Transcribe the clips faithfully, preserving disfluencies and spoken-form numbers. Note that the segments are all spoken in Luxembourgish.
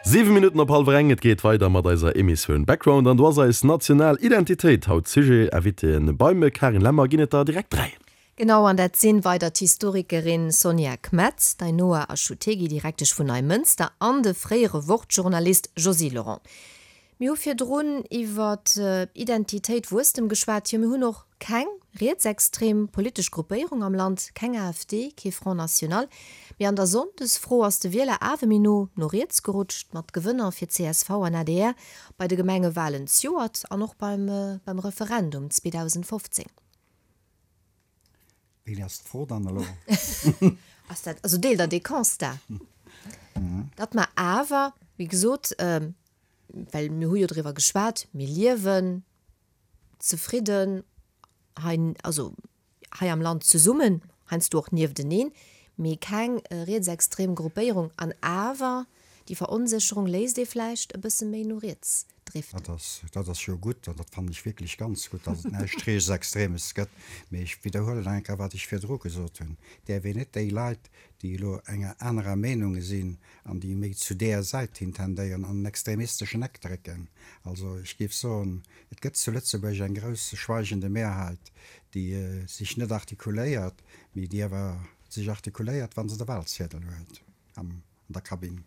Siwe Minutten op hallwer eng, et geet weider mat eiser Emissioun Background an do ass eis national Identitéit haut Sujet. Invitéen beim Carine Lemmer ginn et der direkt dräi. Genau, an dat sinn weider d'Historikerin Sonja Kmetz, d'Ainhoa Achutegui, Direktesch vun Neimënster, an de fréiere Wort-Journalist Josy Lorent. Mir hu virdrun iwwer Identitéit, Wuesstem geschwat. Jo, mir hunn och keng rietsextrem politesch Gruppéierung am Land, keng AfD, kee Front National. Mee an der Sonndesfro ass de Wieler awer méi no no riets gerutscht, mat Gewënner fir csv an adr bei de Gemengewalen zejoert an och beim beim Referendum zweedausendfofzéng. Wéi ass d'Fro dann elo? Ass dat, also deelt Der dee Constat, datt mer awer, wéi gesot, well mir hu jo driwwer geschwat, mir liewen zefridden hei, also hei am Land zesummen, heiansdo och niefteneen, mee keng rietsextrem Gruppéierung an awer déi Veronsécherung léisst ee vläicht e bësse méi no riets driften. Dat ass, dat ass jo gutt an dat fannen ech wierklech ganz gutt, dass et näischt Rietsextremes gëtt. Mee ech widderhuelen nach eng Kéier, wat ech virdru gesot hunn, Däerf een net déi Leit, déi elo enger anerer Meenung sinn an déi méi zu där Säit hin tendéieren, an en extremisteschen Eck drécken. Also ech géif soen, et gëtt zu Lëtzebuerg eng grouss schweigende Mehrheit, déi sech net artikuléiert, mee déi awer sech artikuléiert, wa se de Wahlziedel huet an der Kabinn.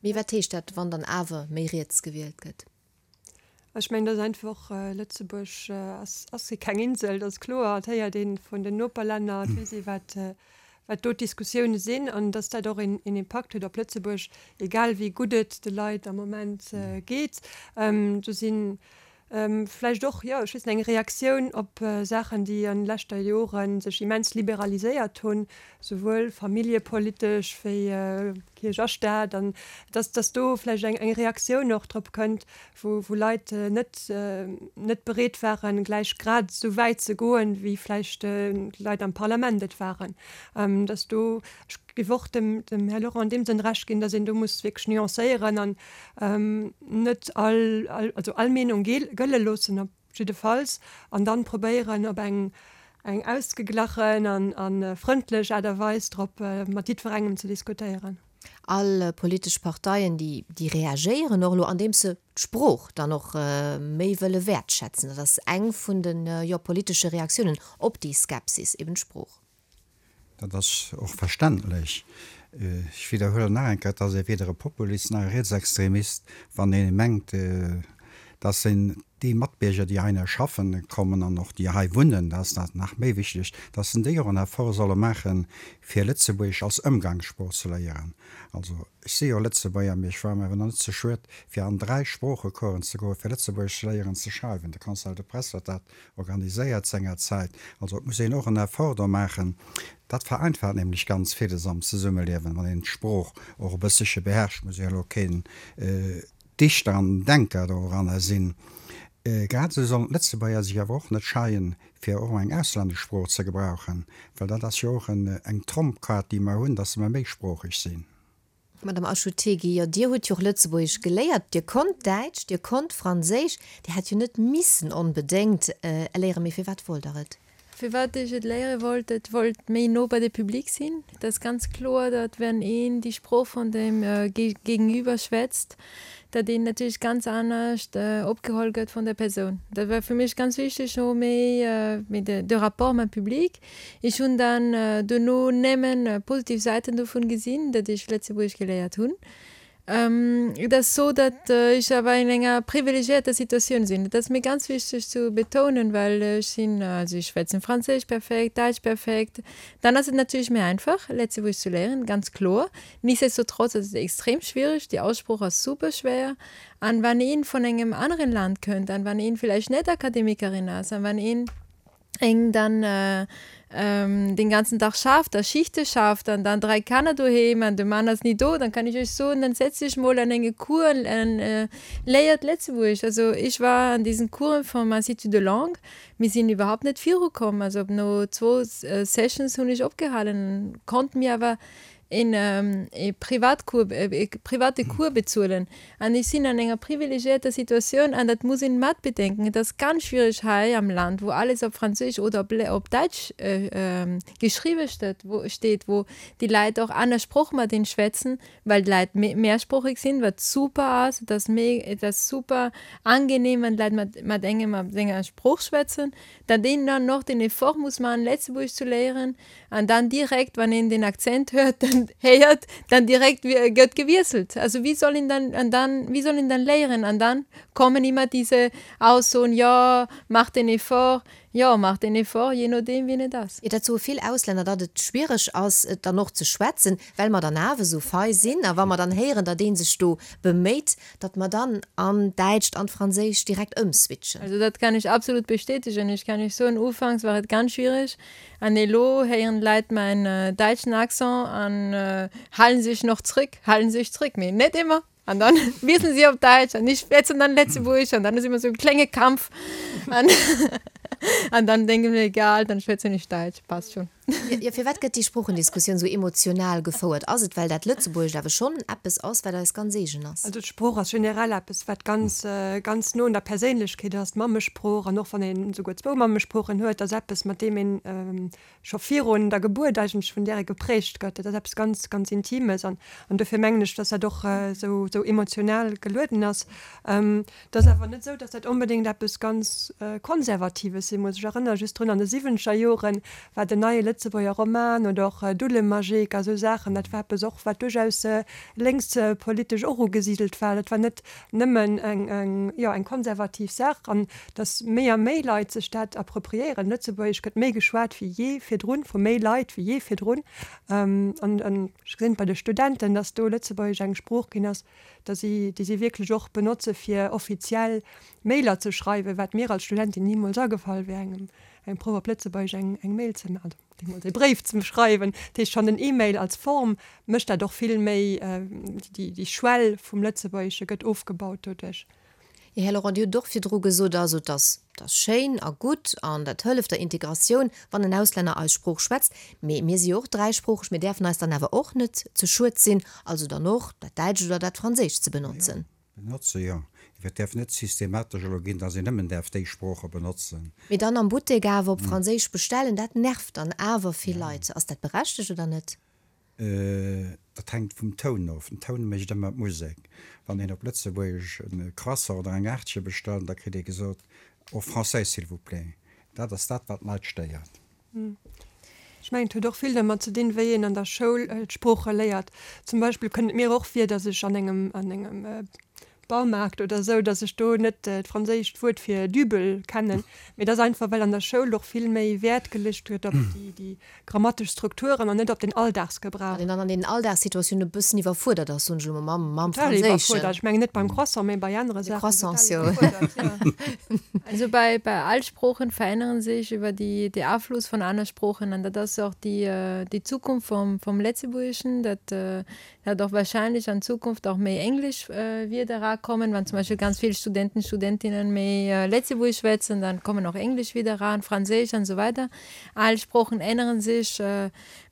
Mee wat heescht dat, wann dann awer méi riets gewielt gëtt? Ech mengen, dat ass einfach, Lëtzebuerg ass ass keng Insel, dat ass kloer. Et héiert ee vun den Noperlänner, et weess ee wat wat do d'Diskussioune sinn an datt dat och een een Impakt huet op Lëtzebuerg, egal wéi gutt et de Leit am Moment geet. Do sinn vläicht och, jo, ech weess net, eng Reaktioun op Saachen, déi an de leschter Jore sech immens liberaliséiert hunn, souwuel familljepolitesch wéi Kierch a Staat, an dass, dass do vläicht eng, eng Reaktioun och drop kënnt, wou, wou Leit net, net bereet waren, gläich grad esou wäit ze goen, wéi vläicht d'Leit am Parlament et waren. Dass do, ech géif och dem, dem Här Laurent an deem Sënn Recht ginn, dass een do muss wierklech nuancéieren an net all, all, also all Meenung gëlle loossen op jiddefalls an dann probéieren op eng, eng ausgeglachen an, a frëndlech Aart a Weis drop mat jiddwerengem ze diskutéieren. All politesch Parteien, déi, déi reagéieren och elo, andeems se d'Sprooch dann och méi wëlle wäertschätzen. Dat ass eng vun de, jo, politesche Reaktiounen op déi Skepsis, eben d'Sprooch. Dat ass och verständlech. Ech widderhuelen nach eng Kéier, et ass ee weder e Populist nach e Rietsextremist, wann ee mengt, dass en déi Matbierger, déi heihinner schaffen kommen an och déi hei wunnen, dat ass dat nach méi wichteg, dass en déi och en Effort solle maachen, fir Lëtzebuergesch als Ëmgangssprooch ze léieren. Also, ech si jo Lëtzebuerger, mee ech war mer awer nach net ze schued, fir an dräi Sproochecoursen ze goen, fir Lëtzebuergesch ze léieren ze schreiwen. De Conseil de Presse huet dat organiséiert sengerzäit. Also et muss een och en Effort do maachen. Dat vereinfacht nämlech ganz villes am Zesummeliewen, wann een d'Sprooch och e bëssche beherrscht. Muss ee jo elo keen Dichter an Denker doranner sinn. Grad esou sollen d'Lëtzebuerger sech awer och net scheien, fir och eng auslännesch Sprooch ze gebrauchen, well dat ass jo och eng Trompkaart, déi mer hunn, dass mer méisproocheg sinn. Madame Achutegui, jo, Dir hutt jo och Lëtzebuergesch geléiert, Dir konnt Däitsch, Dir konnt Franséisch, Dir hätt jo net missen onbedéngt léieren, mee firwat wollt Der et? Firwat ech et léiere wollt, Et wollt méi no bei de Public sinn. Et ass ganz kloer, datt wenn een déi Sprooch vun dem Gegenüber schwätzt, datt een natierlech ganz anescht opgeholl gëtt vun der Persoun. Dat war fir mech ganz wichteg, no méi méi de Rapport mam Public. Ech hunn dann dono nëmmen positiv Säiten dovun gesinn, datt ech Lëtzebuergesch geléiert hunn. Et ass sou, datt ech awer an enger privilegiierter Situatioun sinn. Dat ass mir ganz wichteg ze betounen, well ech sinn, also ech schwätzen Franséisch perfekt, Däitsch perfekt. Dann ass et natierlech méi einfach, Lëtzebuergesch ze léieren, ganz kloer. Nichtsdestotrotz ass et extrem schwierig, déi Aussprooch ass super schwéier. An wann een vun engem aneren Land kënnt an wann een villäicht net Akademikerin ass an wann een eng dann den ganzen Dag schafft a Schichte schafft an dann dräi Kanner doheem an de Mann ass ni do, dann kann ech iech soen, dann setz dech mol an enge Cours an léiert Lëtzebuergesch. Also ech war an diesen Coursen vum Institut de langue, mir sinn iwwerhaupt net virukomm. Also no zwou Sessions hunn ech opgehalen, konnt mir awer een ee Privatcours, ee private Cours bezuelen. An ech sinn an enger privilegiierter Situatioun an dat muss een mat bedenken. Et ass ganz schwierig hei am Land, wou alles op Franséisch oder op op Däitsch geschriwwe steet, wou steet, wou déi Leit och aner Sprooch mat een schwätzen, well d'Leit mehrsproochig sinn, wat super ass. Et ass me et ass super angenehm, wann d'Leit mat mat engem op senger Sprooch schwätzen. Datt een dann noch den Effort muss maachen, Lëtzebuergesch ze léieren an dann direkt, wann een den Akzent hört, dann héiert, dann direkt gëtt gewiesselt. Also wie soll een dann an dann wie soll een dann léieren? An dann kommen immer diese Aussoen, jo, mach den Effort, jo, mach den Effort, je nodeem wien et ass. Jo, dat soe vill Auslänner, datt et schwiereg ass, et dann och ze schwätzen, well mer dann awer esou fei sinn. A wa mer dann héieren, datt ee sech do beméit, datt mer dann an d'Däitscht, an d'Franséischt direkt ëmswitchen. Also dat kann ech absolut bestätigen. Ech kann Iech soen, ufanks war et ganz schwierig an elo héieren d'Leit mäin däitschen Accent an halen sech noch zréck, halen sech zréck, mee net ëmmer. An dann wiesselen si op Däitsch an ech schwätzen dann Lëtzebuergesch an dann ass ëmmer sou e klenge Kampf an an dann denke ech mir, egal, dann schwätzen ech Däitsch, passt schon. Jo, firwat gëtt déi Sproochendiskussioun sou emotional gefouert? Ass et, well dat Lëtzebuergescht awer schonn eppes ass, wat eis ganz eegen ass? Also d'Sprooch ass generell eppes, wat ganz, ganz no un der Perséinlechkeet ass, d'Mammesprooch. An och wann een esouguer zwou Mammesproochen huet, ass eppes, mat deem een scho virun der Gebuert eigentlech vun där ee geprägt gëtt. Dat ass eppes ganz, ganz Intimes an an dofir mengen ech, dass dat och esou, esou emotional gelueden ass. Et ass awer net esou, dass dat onbedéngt eppes ganz Konservatives si muss. Ech erënnere just drun, an de siwwenzeger Jore war den Neie Lëtzebuerger Roman oder och Dullemajik a sou Saachen, dat war eppes och, wat duerchaus lénkspolitesch och ugesidelt war. Dat war net nëmmen eng, eng, jo, eng konservativ Saach. An dass méi a méi Leit sech dat appropriéieren. Lëtzebuergesch gëtt méi geschwat wéi jee virdrun, vu méi Leit wéi jee virdrun. An ech gesinn et bei de Studenten, dass do Lëtzebuergesch eng Sprooch ginn ass, dass si, déi si wierklech och benotze fir offiziell Mailer ze schreiwen, wat mir als Studentin nimools agefall wär, engem, engem Proff op Lëtzebuergesch eng, eng Mail ze maachen, also deemools e Bréif ze schreiwen. Dat heescht, schonn den E-Mail als Form mécht dat och vill méi, déi, déi Schwell vum Lëtzebuergesche gëtt ofgebaut doduerch. Jo, Här Laurent, Dir hutt och virdru gesot, also et ass, et ass schéin a gutt an dat hëlleft der Integratioun, wann en Auslänner eis Sprooch schwätzt. Mee mir si jo och dräisproocheg, mir däerfen eis dann awer och net ze schued sinn, also dann och dat Däitscht oder dat Franséischt ze benotzen. Benotze, jo. Et däerf net systematesch elo ginn, datt een nëmmen däerf déi Sprooche benotzen. Mee dann am Buttek awer op Franséisch bestellen, dat nervt dann awer vill Leit. Ass dat berechtegt oder net? Dat hänkt vum Toun of. Den Toun mécht ëmmer d'Musek. Wann een op Lëtzebuergesch e Croissant oder eng Aartche bestellt, da kritt ee gesot, En français, s'il vous plaît. Dat ass dat, wat d'Leit stéiert. Ech mengen, et huet och vill dermat ze dinn, wéi een an der Schoul d'Sprooche léiert. Zum Beispill kënnt et mir och vir, datt ech an engem, an engem Baumarkt oder esou, datt ech do net d'franséischt Wuert fir Dübel kennen. Mee dat ass einfach, well an der Schoul och vill méi Wäert geluecht gëtt op déi, déi grammatesch Strukturen an net op den Alldagsgebrauch. Well een dann an deenen Alldagssituatiounen e bëssen iwwerfuerdert ass, soen ech elo mol, mam, mam Total Franséischen. iwwerfuerdert. Ech mengen net beim Croissant, mee bei anere De Saachen. Croissants, Total jo. iwwerfuerdert, jo. Also bei, bei all Sproochen verännern sich über die, de Afluss von aner Sproochen an dat ass och déi, déi Zukunft vom, vom Lëtzebuergeschen, dat dat och wahrscheinlech an Zukunft och méi englesch Wierder erakommen, wann zum Beispill ganz vill Studenten, Studentinnen méi Lëtzebuergesch schwätzen, dann kommen och englesch Wierder eran, Franséisch an esou weider. All Sproochen änneren sech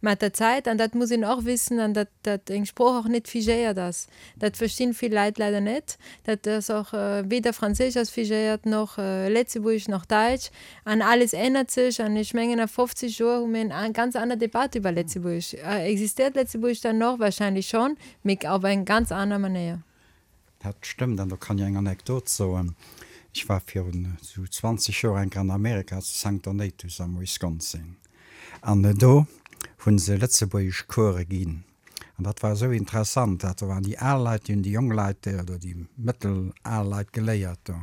mat der Zäit an dat muss een och wissen an dat dat eng Sprooch och net figéiert ass. Dat verstinn vill Leit leider net. Dat ass och weder Franséisch ass figéiert noch Lëtzebuergesch nach Däitsch an alles ännert sech an ech mengen a fofzeg Joer hu mir eng ganz aner Debatt iwwer Lëtzebuergesch. Existéiert Lëtzebuergesch dann noch? Wahrscheinlech schonn, mee op eng ganz aner Manéier. Dat stëmmt an do kann ech eng Anekdot soen. Ech war virun esou zwanzeg Joer eng Kéier an Amerika, zu Sankt Donatus am Wisconsin, an do hu se lëtzebuergesch Course ginn. An dat war esou interessant, dat do waren déi al Leit, déi hunn déi jonk Leit oder déi mëttel al Leit geléiert do.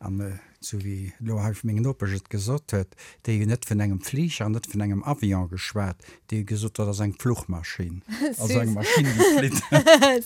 An esou wéi elo hei meng Nopesch et gesot huet, déi hunn net vun engem Fliger an net vun engem Avion geschwat, déi hu gesot, dat ass eng Fluchmaschinn, also eng Maschinn, déi flitt.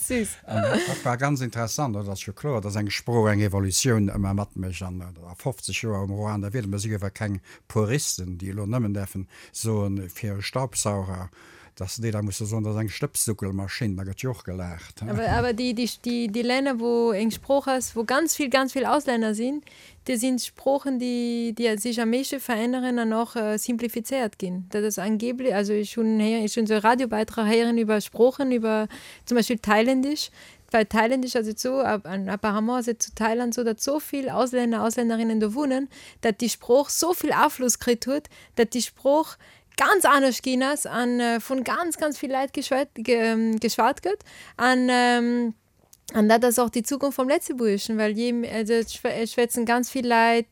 Süß. An dat war ganz interessant. Et ass jo kloer, dass eng Sprooch eng Evolutioun ëmmer matmécht. An a fofzeg Joer um Ruander Wieder, mer si jo awer keng Puristen, déi elo nëmmen däerfen soen, fir e Staubsauger, Dass déi da musse soen, dat ass eng Stëbssuckelmaschinn, da gëtt jo och gelaacht. Awer, awer déi, déi, déi, déi Länner, wou eng Sprooch ass, wou ganz vill, ganz vill Auslänner sinn, déi sinn d'Sproochen, déi, déi sech am meeschte veränneren an och simplifizéiert ginn. Dat ass angeblech, also ech hunn héieren, ech hunn esou e Radiobeitrag héieren iwwer Sproochen, iwwer zum Beispill Thailändisch. Bei Thailändisch ass et esou, an apparemment ass et zu Thailand esou, datt esou vill Auslänner, Auslännerinnen do wunnen, datt déi Sprooch esou vill Afloss kritt huet, datt déi Sprooch ganz anescht ginn ass an vun ganz ganz vill Leit geschwat geschwat gëtt an an dat ass och déi Zukunft vum Lëtzebuergeschen, well je also et schwätzen ganz vill Leit,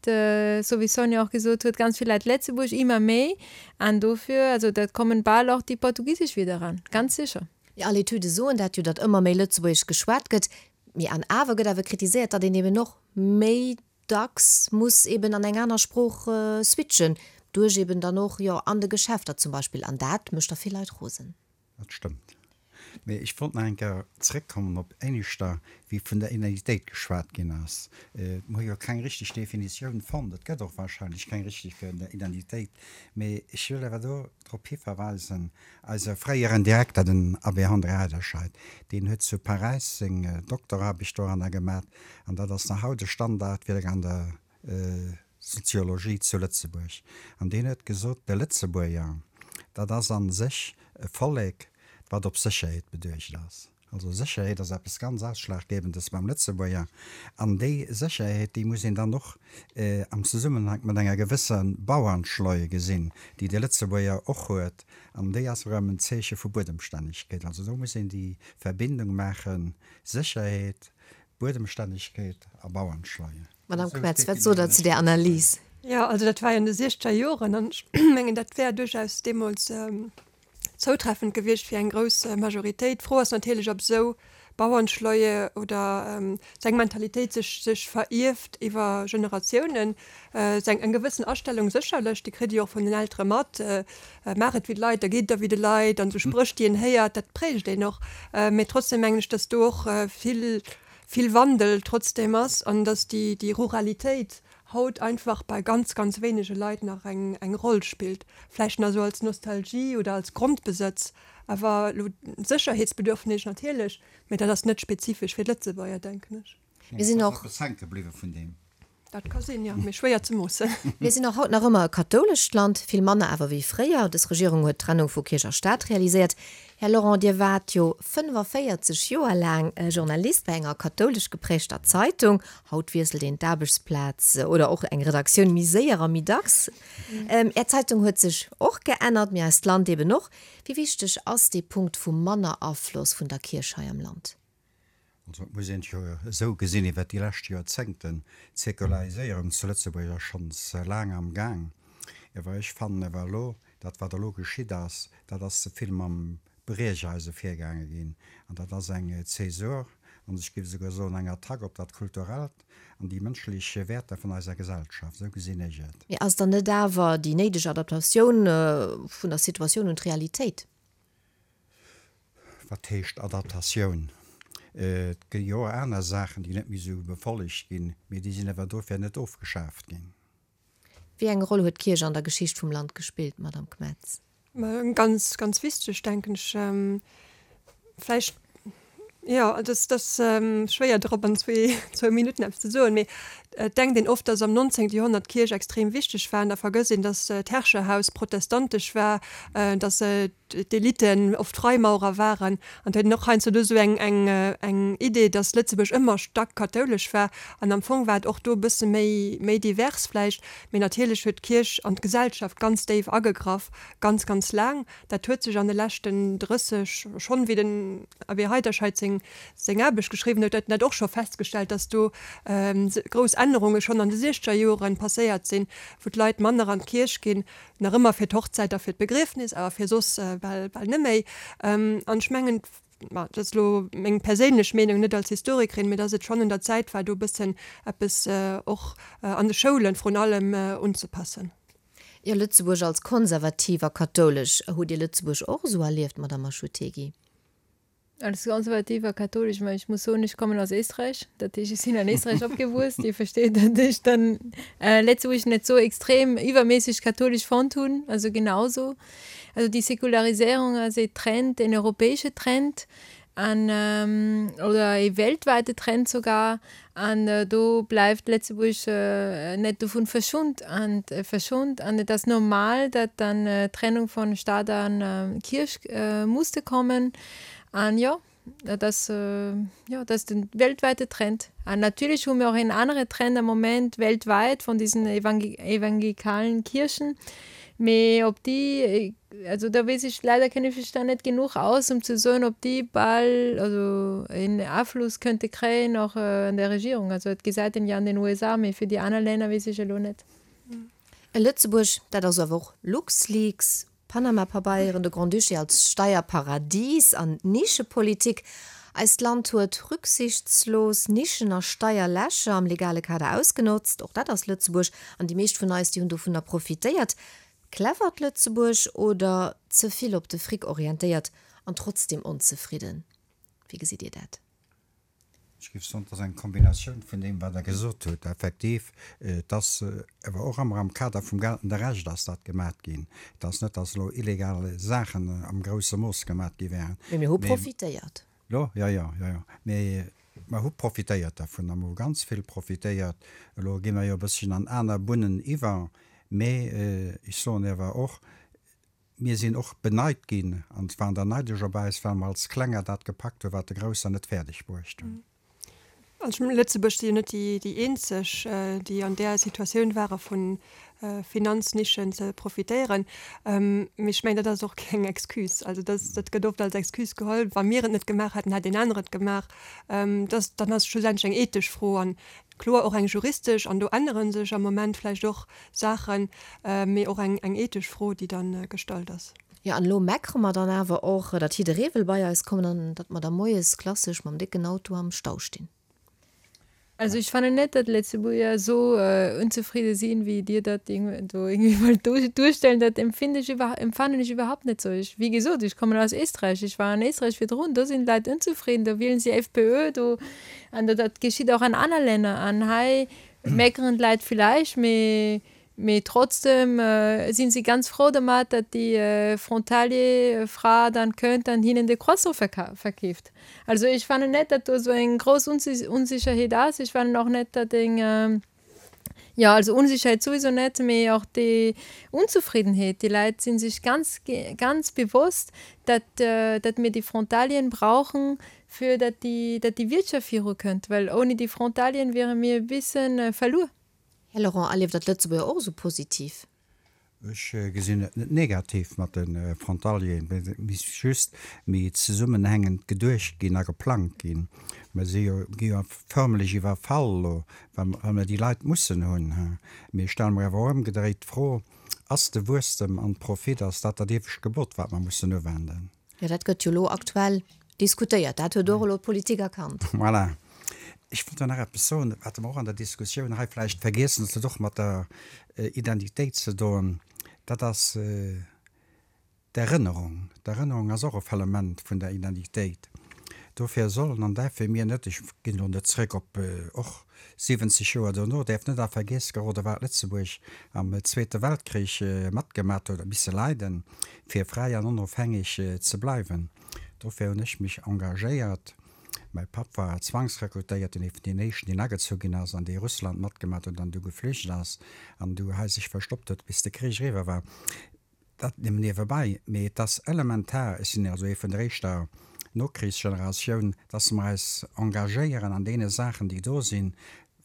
sou wéi Sonja och gesot huet, ganz vill Leit Lëtzebuergesch ëmmer méi an dofir also dat kommen bal och déi portugisesch Wierder eran, ganz sécher. Jo, all Etüde soen dat jo, datt ëmmer méi Lëtzebuergesch geschwat gëtt, mee an awer gëtt awer kritiséiert, datt een eben och méi dacks muss eben an eng aner Sprooch switchen, duerch eben dann och, jo, an de Geschäfter zum Beispill, an dat mécht der vill Leit rosen. Dat stëmmt. Mee ech wollt nach eng Kéier zréckkommen op éineschter, wéi vun der Identitéit geschwat ginn ass. Mer hu jo keng richteg Definitioun fonnt. Et gëtt och wahrscheinlech keng richteg fir Identitéit. Mee ech wëll awer do drop hiverweisen, eise fréieren Direkter, den Abbé André Heiderscheid, deen huet zu Paräis seng Dokteraarbecht doranner gemat, an dat ass nach haut e Standardwierk an der Soziologie zu Lëtzebuerg. An deen huet gesot, de Lëtzebuerger, dat ass a sech e Vollek, wat op Sécherheet beduecht ass. Also Sécherheet ass eppes ganz Ausschlaggebendes beim Lëtzebuerger. An déi Sécherheet, déi muss een dann och am Zesummenhank mat enger gewësser Bauernschleue gesinn, déi de Lëtzebuerger och huet. An déi ass erëm en Zeeche vu Buedemstännegkeet. Also do muss een déi Verbindung maachen, Sécherheet, Buedemstännegkeet a Bauernschleue. Madame Kmetz, wat sot Der zu där Analys? Jo, also dat war jo an de siechzeger Joren an ech mengen, dat wär duerchaus deemools zoutreffend gewiescht fir eng grouss Majoritéit. D'Fro ass natierlech, ob esou Bauernschleue oder sou eng Mentalitéit sech sech verierft iwwer Generatiounen. Sou eng gewëssen Astellung sécherlech, déi kritt ee jo och vun den Eltere mat, maach et wéi d'Leit, da geet et der wéi de Leit an esou Spréch, déi een héiert, dat prägt een och. Mee trotzdem mengen ech, datt do och vill vill Wandel trotzdem ass an datt déi déi Ruralitéit haut einfach bei ganz, ganz wéinege Leit nach eng eng Roll spillt, vläicht nach esou als Nostalgie oder als Grondbesëtz, awer elo d'Sécherheetsbedürfnis natierlech, mee dat ass net spezifesch fir d'Lëtzebuerger, denken ech. Mir sinn och. Eppes hänke bliwwe vun deem. Dat ka sinn, jo, mee schwéier ze moossen. Mir sinn och haut nach ëmmer e kathoulescht Land, vill manner awer wéi fréier. Dës Regierung huet d'Trennung vu Kierch a Staat realiséiert. Här Lorent, Dir waart jo fënnefaféierzeg Joer laang Journalist bei enger kathoulesch geprägter Zeitung. Haut wiesselt een d'Aarbechtsplaz oder och eng Redaktioun méi séier a méi dacks. Är Zeitung huet sech och geännert, mee eist Land eben och. Wéi wichteg ass dee Punkt vum manner Afloss vun der Kierch hei am Land? Also et muss een et jo esou gesinn, iwwert déi lescht Joerzéngten, d'Säkulariséierung zu Lëtzebuerg ass schonns laang am Gaang. Awer ech fannen awer elo, dat wat elo geschitt ass, dat ass ze vill mam Briecheise virgaange ginn. An dat ass eng Zäsur, an ech géif esouguer soen eng Attack op dat Kulturellt an déi mënschlech Wäerter vun eiser Gesellschaft. Esou gesinn ech et. Mee ass dann net awer déi néideg Adaptatioun vun der Situatioun un d'Realitéit? Wat heescht Adaptatioun? Et gi jo och aner Saachen, déi net méi esou befollegt ginn, mee déi sinn awer dofir net ofgeschaaft ginn. Wéi eng Roll huet d'Kierch an der Geschicht vum Land gespillt, Madame Kmetz? Eng ganz, ganz wichteg, denken ech. Vläicht, jo, et ass, et ass schwéier drop an zwee, zwou Minutten eppes ze soen, mee et denkt een oft, datt am nonzéngte Joerhonnert d'Kierch extrem wichteg war an da vergësst een, datt d'Herrscherhaus protestantesch war, datt d'Eliten oft Freimaurer waren an et huet een och heiansdo do esou eng, eng, eng Idee, datt Lëtzebuerg ëmmer staark kathoulesch war an am Fong war et och do e bësse méi, méi divers vläicht. Mee natierlech huet d'Kierch an d'Gesellschaft ganz déif agegraff, ganz, ganz laang. Dat huet sech an de leschten drësseg, schonn wéi den Abbé Heiderscheid seng, seng Aarbecht geschriwwen huet, huet en dat och scho festgestellt, datt do grouss Ännerunge schonn an de siechzeger Joren passéiert sinn, wou d'Leit manner an d'Kierch ginn, nach ëmmer fir d'Hochzäit a fir d'Begriefnis, awer fir soss bal, bal net méi. An ech mengen, ma dat ass elo meng perséinlech Meenung, net als Historikerin, mee datt et schonn un der Zäit war, do e bëssen eppes och an de Schoulen vrun allem unzepassen. Jo, Lëtzebuerg als konservativ a kathoulesch. Hutt Dir Lëtzebuerg och esou erlieft, Madame Achutegui? Als konservativer katholisch, ich ich muss so ich komme aus Österreich, dat ich sinn an Österreich opgewuess, Dir versteet, dat ich dann äh, Lëtzebuerg net so extrem iwwerméisseg katholisch fonnt hunn, also genauso. Also die Säkularisierung ass e Trend, en europäesche Trend an ähm, oder e weltweite Trend sogar an äh, do bleift Lëtzebuerg äh, net dovun verschont an äh, verschont an et ass normal, dat dann äh, Trennung von Staat an äh, Kirch äh, musste kommen an jo dat ass äh, jo dat ass den weltweite Trend. An natierlech hu mir och en anere Trend am Moment weltweit von diesen Evangel evangelikalen Kirchen. Mee ob déi also da weess ech leider kenne ech mech da net genuch aus um ze soen ob déi bal also en Afloss könnte kréien och an der Regierung. Also et gesäit een jo an den U S A, mee fir déi aner Länner weess ech elo net. E Lëtzebuerg, dat ass awer och LuxLeaks, Panama-Pabeieren, de Grand-Duché als Steierparadies an Nischepolitik. Eist Land huet rücksichtslos Nischen a Steierlächer am legale Kader ausgenotzt. Och dat ass Lëtzebuerg an déi meescht vun eis, déi hunn dovunner profitéiert. Clevert Lëtzebuerg oder ze vill op de Fric orientéiert an trotzdem onzefridden? Wéi gesitt Dir dat? Ech géif soen, et ass eng Kombinatioun vun deem, wat Der gesot hutt. Effektiv, et ass awer och ëmmer am Kader vum geltende Recht ass dat gemat ginn. Et ass net, dass elo illegal Saachen am grousse Mooss gemat gi wären. Mee mir hu profitéiert. Jo, jo, jo, jo, jo. Mee mer hu profitéiert dervun a mer hu ganz vill profitéiert. Elo gi mer jo e bësschen an aner Bunnen iwwer. Mee ech soen awer och, mir sinn och beneit ginn, an waren der neidesch op eis, well mer als Klenger dat gepackt hunn, wat de Grousser net fäerdeg bruecht hunn. Also Lëtzebuerg si jo net déi déi eenzeg, déi an där Situatioun ware vu Finanznischen ze profitéieren. Mee ech mengen, dat ass och keng Excuse. Also dat dat gëtt oft als Excuse geholl, wa mir et net gemaach hätten, hätt een anere et gemaach. Dat dann ass et schlussendlech eng ethesch Fro an kloer och eng juristesch, an do ännere sech am Moment vläicht och Saachen, mee och eng eng ethesch Fro, déi dann gestallt ass. Jo, an elo meckere mer dann awer och, datt jidderee wëll bei eis kommen an datt mer da moies klassesch mam décken Auto am Stau stinn. Also ech fannen net, datt Lëtzebuerger esou onzefridde sinn, wéi Dir dat do irgendwie wollt duerstellen. Dat empfinde ech iwwer empfannen ech iwwerhaupt net sou. Ech, wéi gesot, ech kommen aus Éisträich, ech war an Éisträich virdrun, do sinn d'Leit onzefridden, do wielen si F P Ö, do an dat dat geschitt och an aner Länner. An hei meckeren d'Leit villäicht, mee mee trotzdem sinn si ganz frou domat, datt déi Frontalier Fra dann kënnt an hinnen de Croissant verkeeft. Also ech fannen net, datt do sou eng grouss Onsécherheet ass. Ech fannen och net, datt eng jo also Onsécherheet souwisou net, mee och déi Onzefriddenheet. Déi Leit sinn sech ganz ganz bewosst, datt datt mir déi Frontalieren brauchen, fir datt déi datt déi Wirtschaft viru kënnt, well ouni déi Frontalieren wiere mir e bëssen verluer. Här Laurent, erlieft Der d'Lëtzebuerger och esou positiv? Ech gesinn et net negativ mat de Frontalieren, et misst just méi zesummenhängend geduecht ginn a geplangt ginn. Mer si jo, gi jo förmlech iwwerfall elo, well mer déi Leit mussen hunn. Mee ech stelle mer awer och ëmgedréit d'Fro, Ass de Wuesstem an Profit, ass dat dat iewescht Gebot, wat mer mussen uwenden? Jo, dat gëtt jo elo aktuell diskutéiert. Dat huet och elo d'Politik erkannt. Voilà. Ech wollt do nach eppes soen, wat mer och an der Diskussioun hei vläicht vergiessen, dat huet och mat der Identitéit ze doen, dat ass d'Erënnerung. D'Erënnerung ass och e Element vun der Identitéit. Dofir sollen an däerfe mir net, ech ginn elo net zréck op och siwwenzeg Joer dono, däerf net a Vergiess geroden, wat Lëtzebuerg am Zweete Weltkrich matgemat huet a misse leiden, fir fräi an onofhängeg ze bleiwen. Dofir hunn ech mech engagéiert. Mäi Papp war Zwangsrekrutéierten, ee vun deenen éischten, deen agezu ginn ass an dee Russland matgemat huet an du geflücht ass an du hei sech verstoppt huet, bis de Krich eriwwer war. Dat nëmmen niewebäi. Mee et ass elementar, ech sinn also ee vun der éischter Nokrichsgeneratioun, dass mer eis engagéieren an deene Saachen, déi do sinn.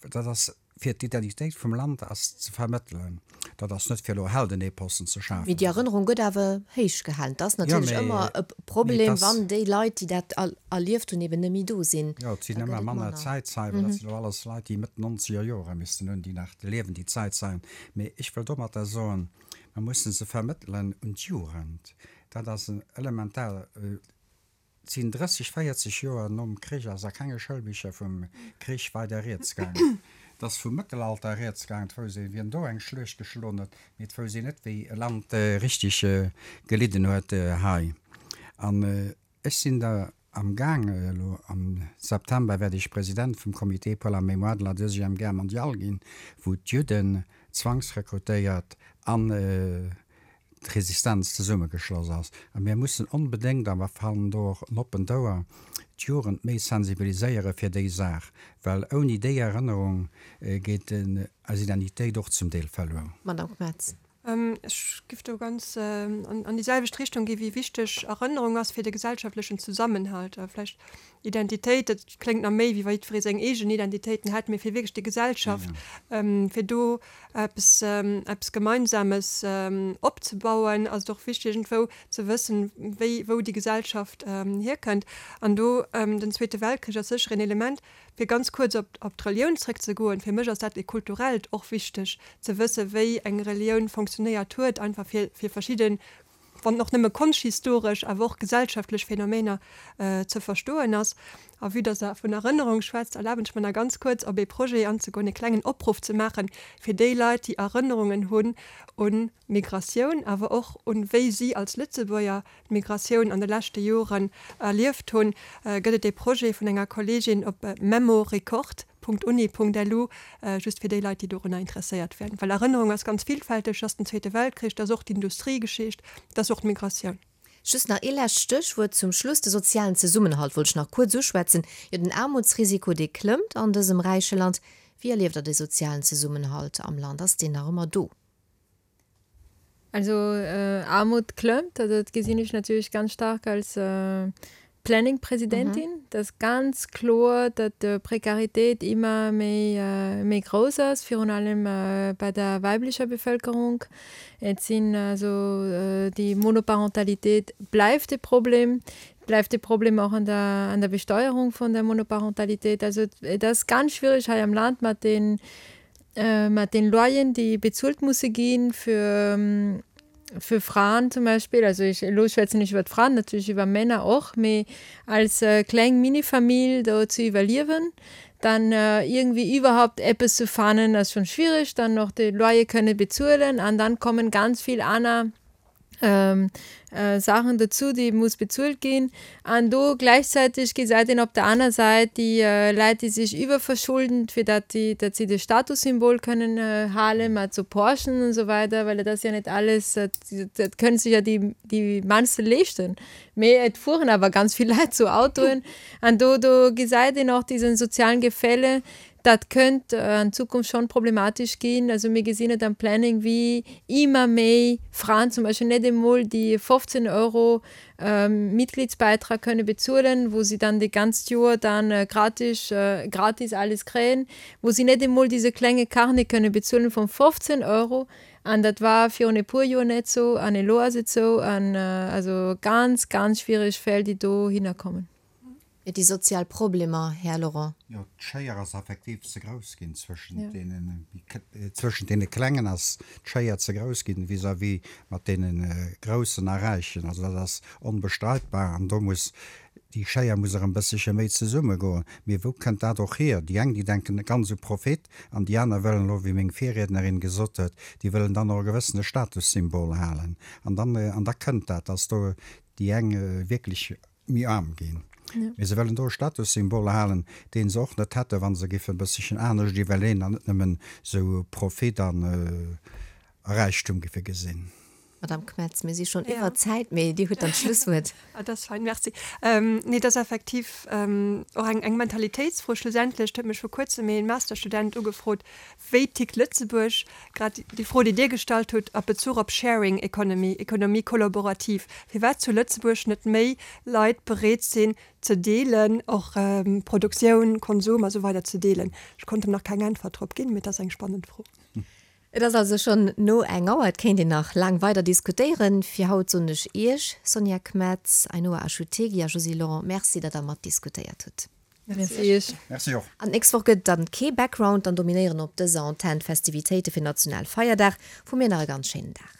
Dat ass fir d'Identitéit vum Land ass ze vermëttelen. Dat ass net fir elo Heldenepossen ze Mee schafen. déi Erënnerung gëtt awer héich gehalen. Et ass Jo, natierlech mee ëmmer e mee et Problem, ass. wann déi Leit, déi dat erlieft hunn, eben net méi do sinn. Jo, et Da sinn gëtt ëmmer et manner manner. Zäitzeien. Dat sinn elo alles Leit, déi Mëtt nonzeger Jore missten hunn, déi nach liewen, déi Zäitzeien. Mee ech wëll domatter soen, mer mussen se vermëttelen un d'Jugend. Dat ass en elementar. Et sinn drësseg, véierzeg Joer nom Krich ass a kenge Schoulbicher vum Krich weider rieds gaangen. Et ass vum Mëttelalter rieds gaangen, et wousst een, wien do eng Schluecht geschloen huet, mee et wousst een net, wéi e Land richteg gelidden huet hei. An ech sinn der am Gaang, elo am September wäert ech President vum Comité pour la mémoire de la Deuxième Guerre mondiale ginn, wou d'Judden zwangsrekrutéiert an d'Resistenz zesummegeschloss ass. A mir mussen onbedéngt, a mer fannen do och en oppent Ouer, d'Jugend méi sensibiliséiere fir déi Saach, well ouni déi Erënnerung geet eis Identitéit och zum Deel verluer. Madame Metz. Ech giff do ganz an déi selwecht Richtung gi wéi wichteg Erënnerung ass fir de gesellschaftlechen Zesammenhalt. Vläicht Identitéit, dat kléngt nach méi wéi wa jiddweree seng eegen Identitéiten hätt, mee fir wierklech déi Gesellschaft, fir do eppes eppes Gemeinsames opzebauen, ass et och wichteg iergendwou ze wëssen, wéi wou déi Gesellschaft hierkënnt. An do den Zweete Weltkrich ass sécher een Element. Fir ganz kuerz op op d'Relioun zréckzegoen, fir mech ass dat e kulturellt och wichteg ze wëssen, wéi eng Relioun fonctionnéiert huet, einfach fir fir verschidde, wann och nëmme konschthistoresch, awer och gesellschaftlech Phänomener ze verstoen ass. A vue dass Der vun Erënnerung schwätzt, erlaben ech mer nach ganz kuerz op ee Projet anzegoen, e klengen Opruff ze maachen fir déi Leit, déi Erënnerungen hunn un Migratioun, awer och un wéi si als Lëtzebuerger d'Migratioun an de leschte Joren erlieft hunn, gëtt et ee Projet vun enger Kolleegin op memorecord punkt uni punkt lu, just fir déi Leit, déi dorunner interesséiert wären. Well Erënnerung ass ganz villfälteg, ass den Zweete Weltkrich, dat ass och d'Industriegeschicht, dat ass och d'Migratioun. Just nach ee lescht Stéchwuert zum Schluss, de sozialen Zesummenhalt wollt ech nach kuerz uschwätzen. Jo, den Aarmutsrisiko, dee klëmmt an dësem räiche Land. Wéi erlieft Der de sozialen Zesummenhalt am Land? Ass deen nach ëmmer do? Also Aarmut klëmmt, also dat gesinn ech natierlech ganz staark als Planning-Presidentin. Dat ass ganz kloer, datt d'Prekaritéit ëmmer méi méi grouss ass, virun allem bei der weiblicher Bevëlkerung. Et sinn also déi Monoparentalitéit bleift e Problem, bleift e Problem och an der an der Besteuerung vun der Monoparentalitéit. Also et ass ganz schwierig hei am Land mat den mat den Loyeren, déi bezuelt musse ginn fir fir Fraen zum Beispill, also ech elo schwätzen ech iwwer d'Fraen, natierlech iwwer Männer och, mee als kleng Minifamill do ze iwwerliewen, dann irgendwie iwwerhaupt eppes ze fannen ass schon schwierig, dann noch de Loyer kënne bezuelen an dann kommen ganz vill aner Saachen dozou, déi muss bezuelt ginn. An do gläichzäiteg gesäit een op der aner Säit déi Leit, déi sech iwwerverschulden, fir datt déi, datt si de Statussymbol kënnen halen, mat sou Porschen und so weiter, well et ass jo net alles, dat kënnen sech jo déi, déi mannste leeschten. Mee et fueren awer ganz vill Leit sou Autoen. An do, do gesäit een och diesen sozialen Gefälle, Dat kënnt an Zukunft schonn problematesch ginn. Also mir gesinn et am Planning, wéi ëmmer méi Fraen zum Beispill net emol déi fofzéng Euro Mitgliedsbeitrag kënne bezuelen, wou si dann déi ganzt Joer dann gratis, gratis alles kréien, wou si net emol dise klenge Carnet kënne bezuelen vun fofzéng Euro. An dat war virun e puer Joer net esou an elo ass et esou. An also ganz, ganz schwiereg Fäll, déi dohinner kommen. Et déi sozial Problemer, Här Laurent. Jo, d'Schéier ass effektiv ze grouss ginn zwëschent deenen, zwëschent deene Klengen ass d'Schéier ze grouss ginn vis-à-vis mat deene Groussen a Räichen. Also dat ass onbestreitbar an do muss, déi Schéier muss erëm e bësselche méi zesummegoen. Mee wou kënnt dat och hier? Déi eng, déi denken ganz u Profit an déi aner wëllen elo, wéi meng Virriednerin gesot huet, déi wëllen dann och e gewëssene Statussymbol halen. An dann, an da kënnt dat, dass do déi eng wierklech méi aarm ginn. Mee se wëllen do e Statussymbol halen, dee se och net hätten, wa se géifen e bësselchen anescht iwwerleeën an net nëmmen esou Profit an a Räichtum géife gesinn. Madame Kmetz, mir si schonn iwwer d'Zäit, mee Dir hutt dann d'Schlusswuert. Dat ass fein, merci. Nee, dat ass effektiv och eng eng Mentalitéitsfro schlussendlech. Et huet mech vor kuerzem ee Masterstudent ugefrot, Wéi tickt Lëtzebuerg? Grad déi Fro, déi Dir gestallt hutt a Bezuch op Sharing Economy, Économie collaborative, firwat zu Lëtzebuerg net méi Leit bereet sinn ze deelen, och Produktioun, Konsum a sou weider ze deelen. Ech konnt em nach keng Äntwert drop ginn, mee et ass eng spannend Fro. Et ass also schonn no eng Auer, et kéint een nach laang weider diskutéieren. Fir haut soen ech Iech, Sonja Kmetz, Ainhoa Achutegui a Josy Lorent, Merci, datt Der matdiskutéiert hutt. Merci Iech. Merci och. An d'nächst Woch gëtt et dann kee Background, dann dominéieren op dëser Antenn d'Festivitéite fir Nationalfeierdag. Vu mir nach e ganz schéinen Dag.